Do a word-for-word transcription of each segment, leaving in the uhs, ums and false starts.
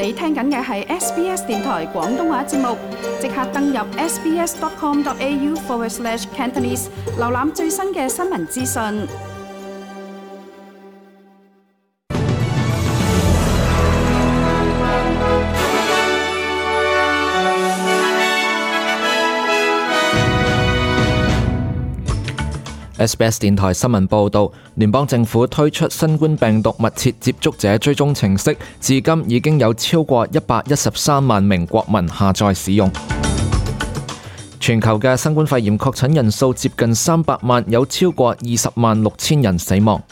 你聽緊嘅係 S B S 電台廣東話節目，即刻登入 sbs.com.au forward slash Cantonese， 瀏覽最新嘅新聞資訊。S B S 電台新聞報導，聯邦政府推出新冠病毒密切接觸者追蹤程式，至今已經有超過一百一十三萬名國民下載使用。全球嘅新冠肺炎確診人數接近三百萬，有超過二十萬六千人死亡。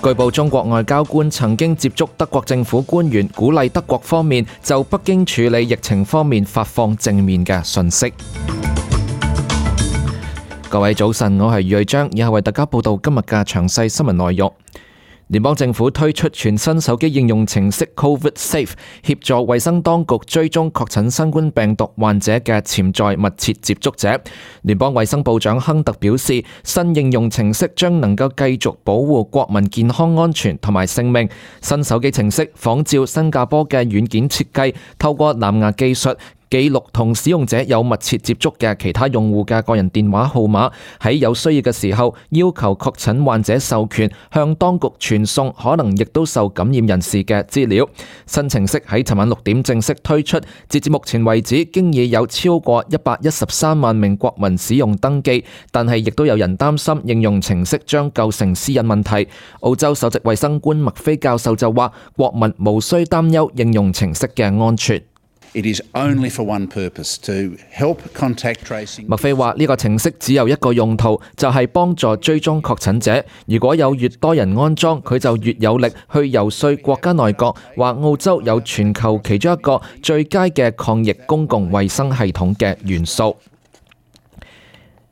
據報，中國外交官曾經接觸德國政府官員，鼓勵德國方面就北京處理疫情方面發放正面嘅訊息。各位早晨，我係余瑞章，以下為大家報道今日嘅詳細新聞內容。聯邦政府推出全新手機應用程式 COVID Safe， 協助衛生當局追蹤確診新冠病毒患者嘅潛在密切接觸者。聯邦衛生部長亨特表示，新應用程式將能夠繼續保護國民健康安全同埋性命。新手機程式仿照新加坡嘅軟件設計，透過藍牙技術記錄同使用者有密切接觸嘅其他用戶嘅個人電話號碼，喺有需要嘅時候要求確診患者授權向當局傳送可能亦都受感染人士嘅資料。新程式喺尋晚六點正式推出，截至目前為止，經已有超過一百一十三萬名國民使用登記，但係亦都有人擔心應用程式將構成私隱問題。澳洲首席衛生官麥菲教授就話，國民無需擔憂應用程式嘅安全。It is only for one purpose, to help contact tracing. 麥菲話呢個程式只有一個用途，就係幫助追蹤確診者。如果有越多人安裝，佢就越有力去游說國家內閣，話澳洲有全球其中一個最佳嘅抗疫公共衛生系統嘅元素。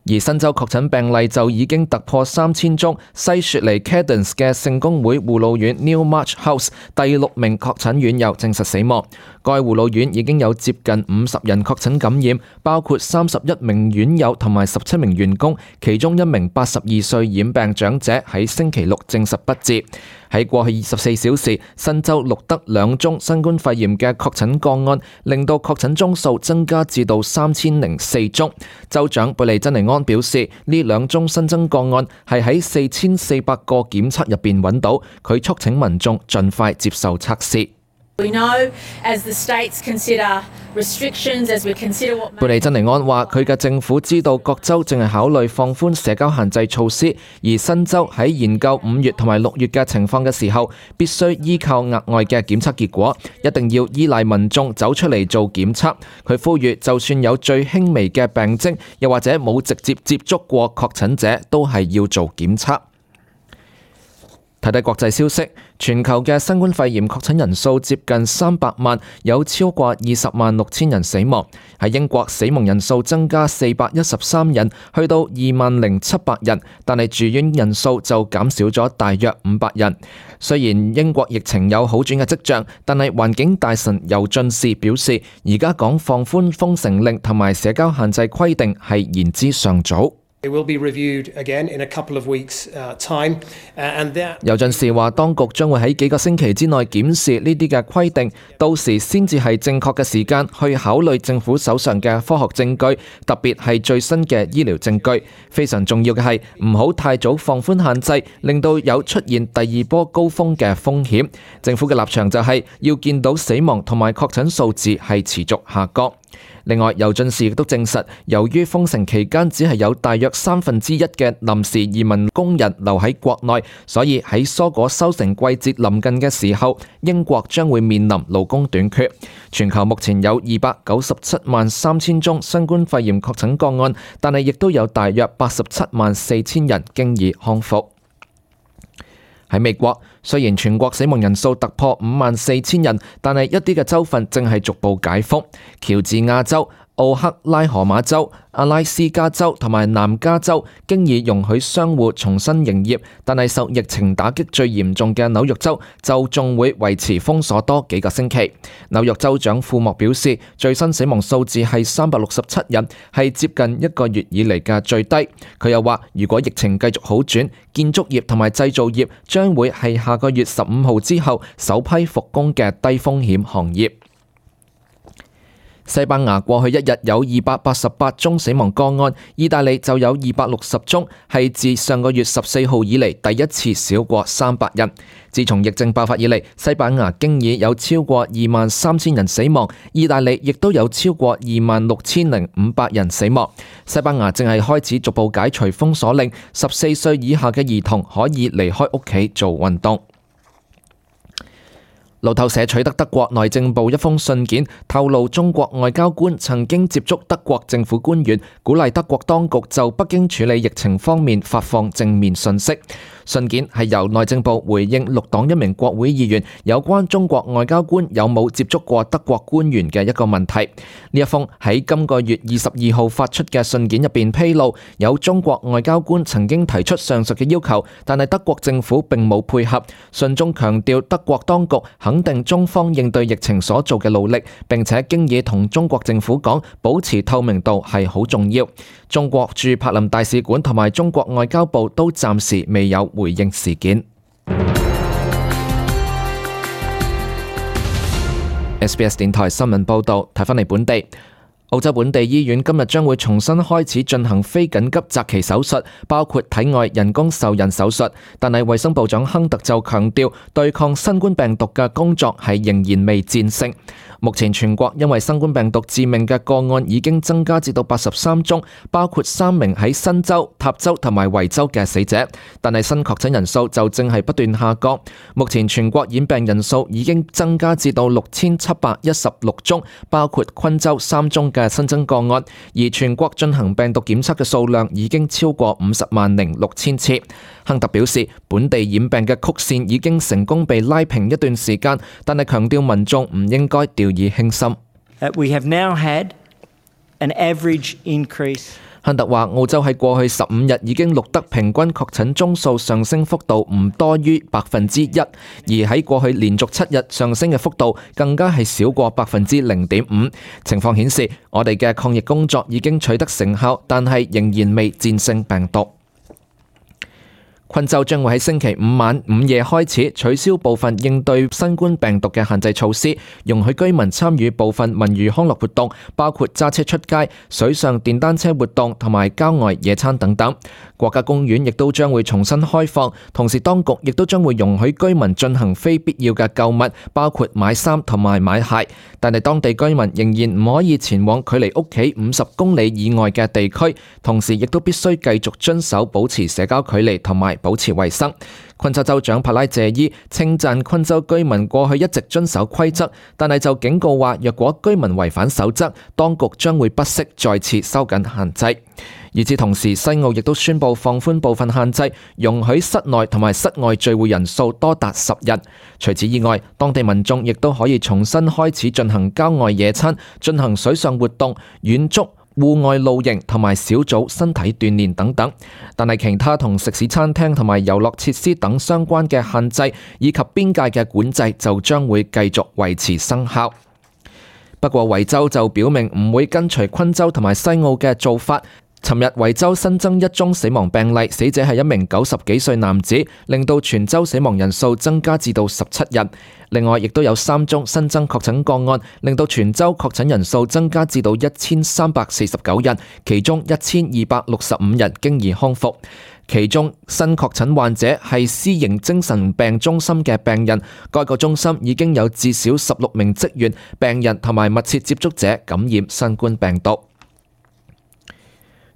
而新州確診病例就已經突破三千宗，西雪梨 Cadence 嘅聖公會護老院 Newmarch House 第六名確診院友證實死亡。該護老院已經有接近五十人確診感染，包括三十一名院友同埋十七名員工，其中一名八十二歲染病長者喺星期六證實不治。喺過去二十四小時，新州錄得兩宗新冠肺炎嘅確診個案，令到確診宗數增加至到三千零四宗。州長貝利珍尼安表示，呢兩宗新增個案係喺四千四百個檢測入邊揾到，佢促請民眾盡快接受測試。貝利珍尼安話：佢嘅政府知道各州正係考慮放寬社交限制措施，而新州喺研究五月同埋六月嘅情況嘅時候，必須依靠額外嘅檢測結果，一定要依賴民眾走出嚟做檢測。佢呼籲，就算有最輕微嘅病徵，又或者冇直接接觸過確診者，都係要做檢測。睇睇國際消息，全球嘅新冠肺炎確診人數接近三百萬，有超過二十萬六千人死亡。喺英國，死亡人數增加四百一十三人，去到二萬零七百人，但係住院人數就減少咗大約五百人。雖然英國疫情有好轉嘅跡象，但係環境大臣尤俊士表示，而家講放寬封城令同埋社交限制規定係言之尚早。It will be reviewed again in a couple of weeks' time, and that. 尤俊士話，當局將會喺幾個星期之內檢視呢啲嘅規定，到時先至係正確嘅時間去考慮政府手上嘅科學證據，特別係最新嘅醫療證據。非常重要嘅係唔好太早放寬限制，令到有出現第二波高峰嘅風險。政府嘅立場就係要見到死亡同埋確診數字係持續下降。另外，尤俊士亦都證實，由於封城期間只係有大約三分之一嘅臨時移民工人留喺國內，所以喺蔬果收成季節臨近嘅時候，英國將會面臨勞工短缺。全球目前有二百九十七萬三千宗新冠肺炎確診個案，但係亦都有大約八十七萬四千人經已康復。喺美國，雖然全國死亡人數突破五萬四千人，但係一啲嘅州份正係逐步解封。喬治亞州、奧克拉荷馬州、阿拉斯加州同埋南加州經已容許商戶重新營業，但係受疫情打擊最嚴重嘅紐約州就仲會維持封鎖多幾個星期。紐約州長庫莫表示，最新死亡數字係三百六十七人，係接近一個月以嚟嘅最低。佢又話，如果疫情繼續好轉，建築業同埋製造業將會係下個月十五號之後首批復工嘅低風險行業。西班牙過去一日有二百八十八宗死亡個案，意大利就有二百六十宗，係自上個月十四號以嚟第一次少過三百人。自從疫症爆發以嚟，西班牙經已有超過二萬三千人死亡，意大利亦都有超過二萬六千零五百人死亡。西班牙正係開始逐步解除封鎖令，十四歲以下嘅兒童可以離開屋企做運動。路透社取得德國內政部一封信件，透露中國外交官曾經接觸德國政府官員，鼓勵德國當局就北京處理疫情方面發放正面信息。信件係由內政部回應綠黨一名國會議員有關中國外交官有冇接觸過德國官員嘅一個問題。呢一封喺今個月二十二號發出嘅信件入邊披露，有中國外交官曾經提出上述嘅要求，但係德國政府並冇配合。信中強調德國當局肯定中方應對疫情所做嘅努力，並且經已同中國政府講，保持透明度係好重要。中國駐柏林大使館同埋中國外交部都暫時未有回應事件。S B S 電台新聞報道，睇返嚟本地。澳洲本地醫院今日將會重新開始進行非緊急擇期手術，包括體外人工受孕手術。但係衛生部長亨特就強調，對抗新冠病毒嘅工作係仍然未戰勝。目前全國因為新冠病毒致命嘅個案已經增加至到八十三宗，包括三名喺新州、塔州同埋維州嘅死者。但係新確診人數就正係不斷下降。目前全國染病人數已經增加至到六千七百一十六宗，包括昆州三宗嘅新增個案。而全國進行病毒檢測嘅數量已經超過五十萬零六千次。亨特表示，本地染病嘅曲線已經成功被拉平一段時間，但係強調民眾唔應該掉以輕心。We have now had an average increase. 亨特話，澳洲喺過去十五日已經錄得平均確診宗數上升幅度唔多於百分之一，而喺過去連續七日上升嘅幅度更加係少過百分之零點五。情況顯示，我哋嘅抗疫工作已經取得成效，但係仍然未戰勝病毒。昆州將會喺星期五晚午夜開始取消部分應對新冠病毒嘅限制措施，容許居民參與部分文娛康樂活動，包括揸車出街、水上電單車活動同埋郊外野餐等等。國家公園亦都將會重新開放，同時當局亦都將會容許居民進行非必要嘅購物，包括買衫同埋買鞋。但係當地居民仍然唔可以前往距離屋企五十公里以外嘅地區，同時亦都必須繼續遵守保持社交距離同埋保持衛生。昆州州長帕拉謝伊稱讚昆州居民過去一直遵守規則，但係就警告話，若果居民違反守則，當局將會不惜再次收緊限制。與此同時，西澳亦都宣布放寬部分限制，容許室內同埋室外聚會人數多達十人。除此以外，當地民眾亦都可以重新開始進行郊外野餐、進行水上活動、遠足、戶外露營同埋小組身體鍛煉等等，但係其他同食肆餐廳同埋遊樂設施等相關嘅限制以及邊界嘅管制就將會繼續維持生效。不過維州就表明唔會跟隨昆州同埋西澳嘅做法。尋日維州新增一宗死亡病例，死者係一名九十幾歲男子，令到全州死亡人數增加至到十七人。另外，亦都有三宗新增確診個案，令到全州確診人數增加至到一千三百四十九人，其中一千二百六十五人經已康復。其中新確診患者係私營精神病中心嘅病人，該個中心已經有至少十六名職員、病人同埋密切接觸者感染新冠病毒。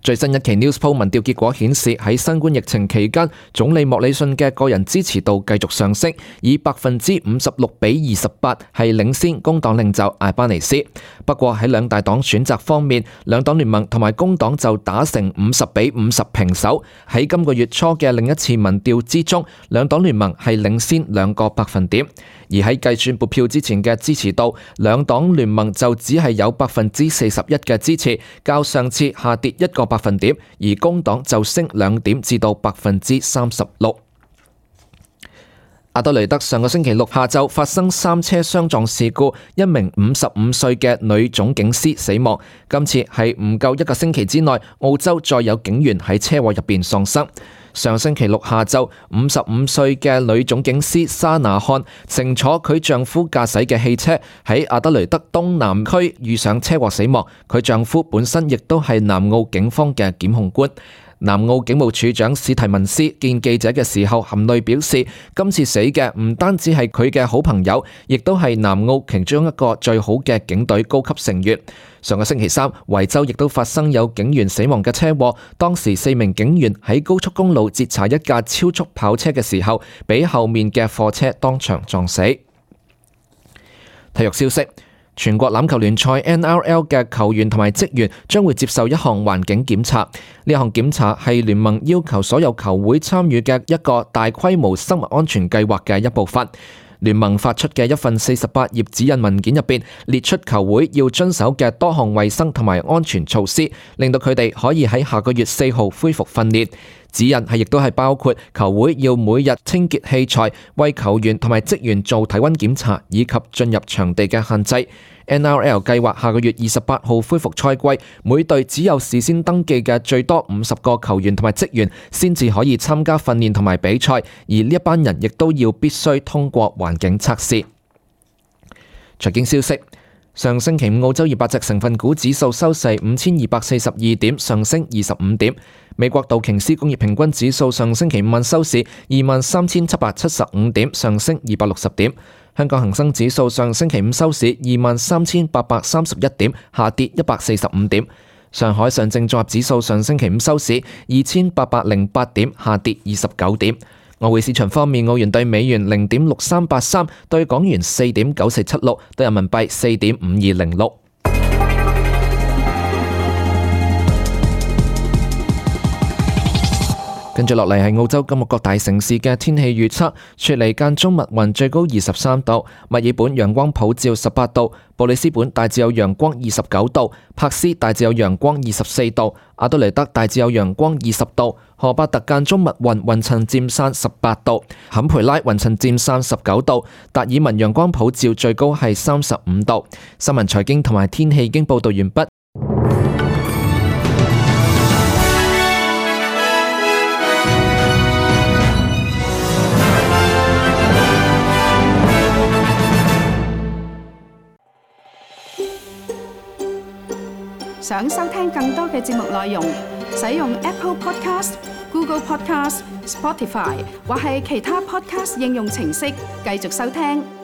最新一期 Newspoll 民調結果顯示，喺新冠疫情期間，總理莫里遜嘅個人支持度繼續上升，以百分之五十六比二十八係領先工黨領袖艾巴尼斯。不過喺兩大黨選擇方面，兩黨聯盟同埋工黨就打成五十比五十平手。喺今個月初嘅另一次民調之中，兩黨聯盟係領先兩個百分點。而喺計算撥票之前嘅支持度，兩黨聯盟就只係有百分之四十一嘅支持，較上次下跌一個百分點，而工黨就升兩點至到百分之三十六。阿德雷德上個星期六下晝發生三車相撞事故，一名五十五歲嘅女總警司死亡。今次係唔夠一個星期之內，澳洲再有警員喺車禍入邊喪生。上星期六下晝，五十五歲嘅女總警司莎拿漢乘坐佢丈夫駕駛嘅汽車喺阿德雷德東南區遇上車禍死亡。佢丈夫本身亦都係南澳警方嘅檢控官。南澳警務處長史提文斯見記者嘅時候含淚表示，今次死嘅唔單止係佢嘅好朋友，亦都係南澳其中一個最好嘅警隊高級成員。上個星期三，維州亦都發生有警員死亡嘅車禍，當時四名警員喺高速公路截查一架超速跑車嘅時候，俾後面嘅貨車當場撞死。體育消息。全國欖球聯賽 N R L 嘅球員同埋職員將會接受一項環境檢查，呢項檢查係聯盟要求所有球會參與嘅一個大規模生物安全計劃嘅一部分。聯盟發出嘅一份四十八頁指引文件入邊列出球會要遵守嘅多項衛生同埋安全措施，令到佢哋可以喺下個月四號恢復訓練。指引係亦都係包括球會要每日清潔器材、為球員同埋職員做體溫檢查，以及進入場地嘅限制。N R L 計劃下個月二十八號恢復賽季，每隊只有事先登記嘅最多五十個球員同埋職員先至可以參加訓練同埋比賽，而呢一班人亦都要必須通過環境測試。財經消息。上星期五澳洲二百隻成分股指數收市五千二百四十二點，上升二十五點。美國道瓊斯工業平均指數上星期五晚收市二萬三千七百七十五點，上升二百六十點。香港恒生指數上星期五收市二萬三千八百三十一點，下跌一百四十五點。上海上證綜合指數上星期五收市二千八百零八點，下跌二十九點。外匯市場方面，澳元兌美元零點六三八三，兌港元四點九四七六，兌人民幣四點五二零六。跟住落嚟係澳洲今日各大城市嘅天氣預測：雪梨間中密雲，最高二十三度；墨爾本陽光普照十八度；布里斯本大致有陽光二十九度；柏斯大致有陽光二十四度；阿德雷德大致有陽光二十度；荷伯特間中密雲，雲層漸散十八度；坎培拉雲層漸散十九度；達爾文陽光普照，最高係三十五度。新聞財經同埋天氣已經報道完畢。想收聽更多嘅節目內容，使用 Apple Podcast、Google Podcast、Spotify 或係其他 Podcast 應用程式繼續收聽。